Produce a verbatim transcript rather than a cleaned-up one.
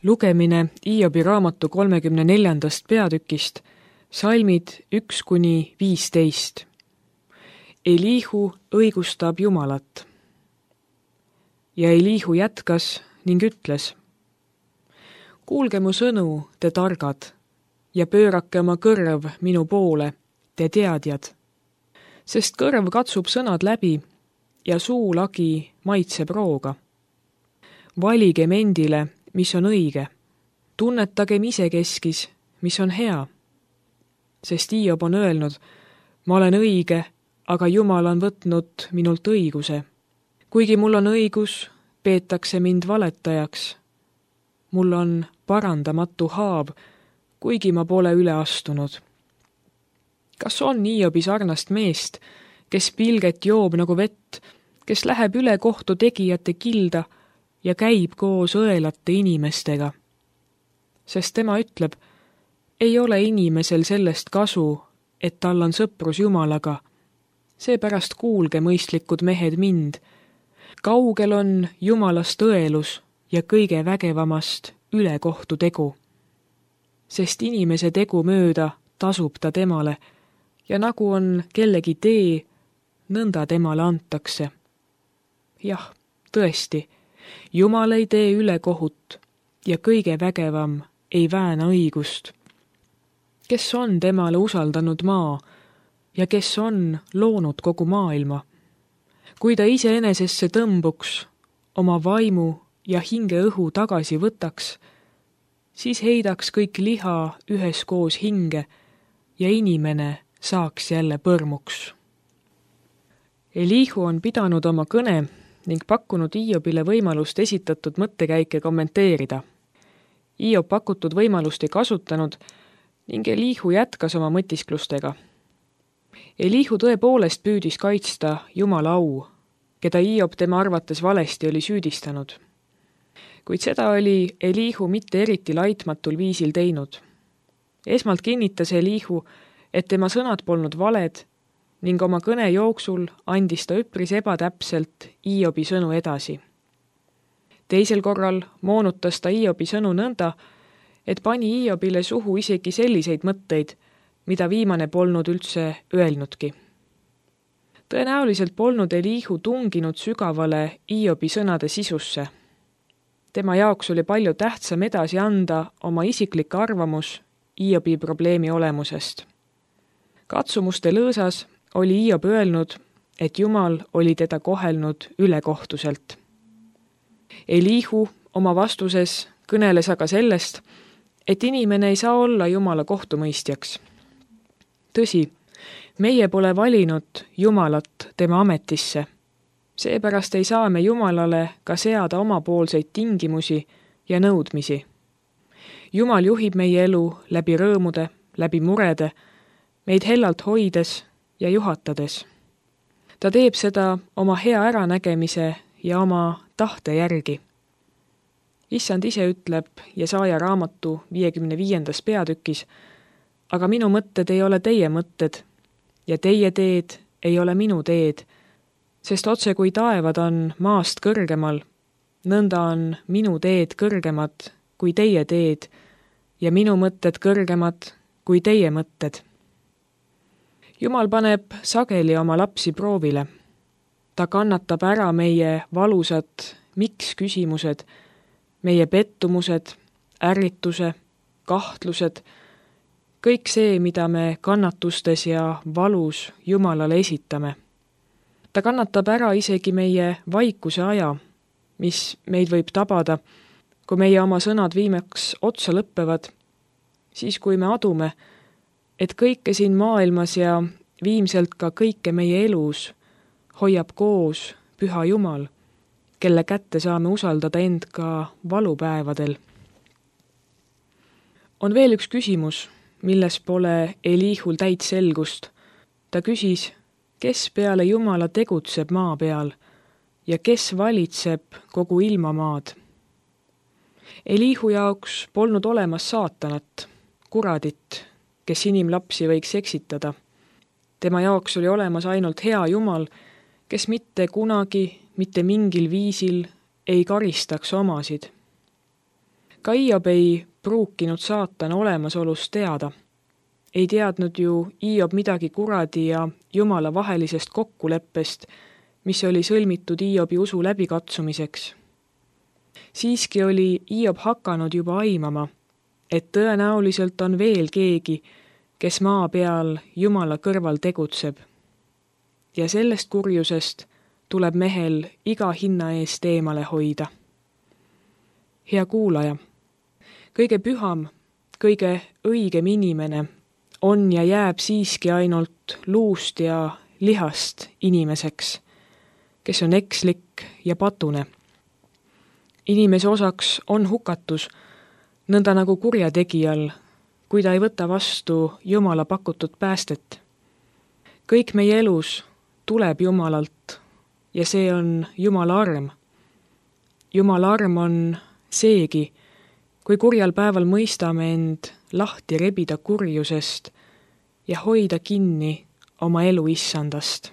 Lugemine Hiobi raamatu kolmekümne neljandast peatükist, salmid üks kuni viisteist. Elihu õigustab Jumalat. Ja Elihu jätkas ning ütles: Kuulge mu sõnu, te targad, ja pöörake oma kõrv minu poole, te teadjad. Sest kõrv katsub sõnad läbi ja suu lagi maitseb rooga. Valigem endile, mis on õige. Tunnetagem isekeskis, mis on hea. Sest Hiob on öelnud: ma olen õige, aga Jumal on võtnud minult õiguse. Kuigi mul on õigus, peetakse mind valetajaks. Mul on parandamatu haab, kuigi ma pole üle astunud. Kas on Hiobi sarnast meest, kes pilget joob nagu vett, kes läheb üle kohtu tegijate kilda ja käib koos õelate inimestega? Sest tema ütleb: ei ole inimesel sellest kasu, et tal on sõprus Jumalaga. Seepärast kuulge, mõistlikud mehed, mind. Kaugel on Jumalast õelus ja kõige vägevamast ülekohtu tegu. Sest inimese tegu mööda tasub ta temale ja nagu on kellegi tee, nõnda temale antakse. Jah, tõesti, Jumal ei tee ülekohut ja kõige vägevam ei vääna õigust. Kes on temale usaldanud maa ja kes on loonud kogu maailma? Kui ta iseenesesse tõmbuks, oma vaimu ja hinge õhu tagasi võtaks, siis heidaks kõik liha üheskoos hinge ja inimene saaks jälle põrmuks. Elihu on pidanud oma kõne ning pakkunud Hiobile võimalust esitatud mõttekäike kommenteerida. Hiob pakutud võimalust ei kasutanud ning Elihu jätkas oma mõtisklustega. Elihu tõepoolest püüdis kaitsta Jumala au, keda Hiob tema arvates valesti oli süüdistanud. Kuid seda oli Elihu mitte eriti laitmatul viisil teinud. Esmalt kinnitas Elihu, et tema sõnad polnud valed ning oma kõne jooksul andis ta üpris ebatäpselt Hiobi sõnu edasi. Teisel korral moonutas ta Hiobi sõnu nõnda, et pani Hiobile suhu isegi selliseid mõtteid, mida viimane polnud üldse öelnudki. Tõenäoliselt polnud Elihu tunginud sügavale Hiobi sõnade sisusse. Tema jaoks oli palju tähtsam edasi anda oma isiklik arvamus Hiobi probleemi olemusest. Katsumuste lõõsas oli Hiob öelnud, et Jumal oli teda kohelnud ülekohtuselt. Elihu oma vastuses kõneles aga sellest, et inimene ei saa olla Jumala kohtumõistjaks. Tõsi, meie pole valinud Jumalat tema ametisse. Seepärast ei saa me Jumalale ka seada omapoolseid tingimusi ja nõudmisi. Jumal juhib meie elu läbi rõõmude, läbi murede, meid hellalt hoides ja juhatades. Ta teeb seda oma hea äranägemise ja oma tahte järgi. Issand ise ütleb Jesaja raamatu viiekümne viiendas peatükis: aga minu mõtted ei ole teie mõtted ja teie teed ei ole minu teed, sest otse kui taevad on maast kõrgemal, nõnda on minu teed kõrgemad kui teie teed ja minu mõtted kõrgemad kui teie mõtted. Jumal paneb sageli oma lapsi proovile. Ta kannatab ära meie valusad miks küsimused, meie pettumused, ärrituse, kahtlused, kõik see, mida me kannatustes ja valus Jumalale esitame. Ta kannatab ära isegi meie vaikuse aja, mis meid võib tabada, kui meie oma sõnad viimaks otsa lõppevad, siis kui me adume, et kõike siin maailmas ja viimselt ka kõike meie elus hoiab koos püha Jumal, kelle kätte saame usaldada end ka valupäevadel. On veel üks küsimus, milles pole Elihul täit selgust. Ta küsis, kes peale Jumala tegutseb maa peal ja kes valitseb kogu ilmamaad. Elihu jaoks polnud olemas saatanat, kuradit, kes inimlapsi võiks eksitada. Tema jaoks oli olemas ainult hea Jumal, kes mitte kunagi, mitte mingil viisil ei karistaks omasid. Ka Hiob ei pruukinud saatana olemasolust teada. Ei teadnud ju Hiob midagi kuradi ja Jumala vahelisest kokkuleppest, mis oli sõlmitud Hiobi usu läbikatsumiseks. Siiski oli Hiob hakanud juba aimama, et tõenäoliselt on veel keegi, kes maa peal Jumala kõrval tegutseb. Ja sellest kurjusest tuleb mehel iga hinna eest eemale hoida. Hea kuulaja, kõige püham, kõige õigem inimene on ja jääb siiski ainult luust ja lihast inimeseks, kes on ekslik ja patune. Inimese osaks on hukatus, nõnda nagu kurjategijal, kui ta ei võta vastu Jumala pakutud päästet. Kõik meie elus tuleb Jumalalt ja see on Jumala arm. Jumala arm on seegi, kui kurjal päeval mõistame end lahti rebida kurjusest ja hoida kinni oma elu issandast.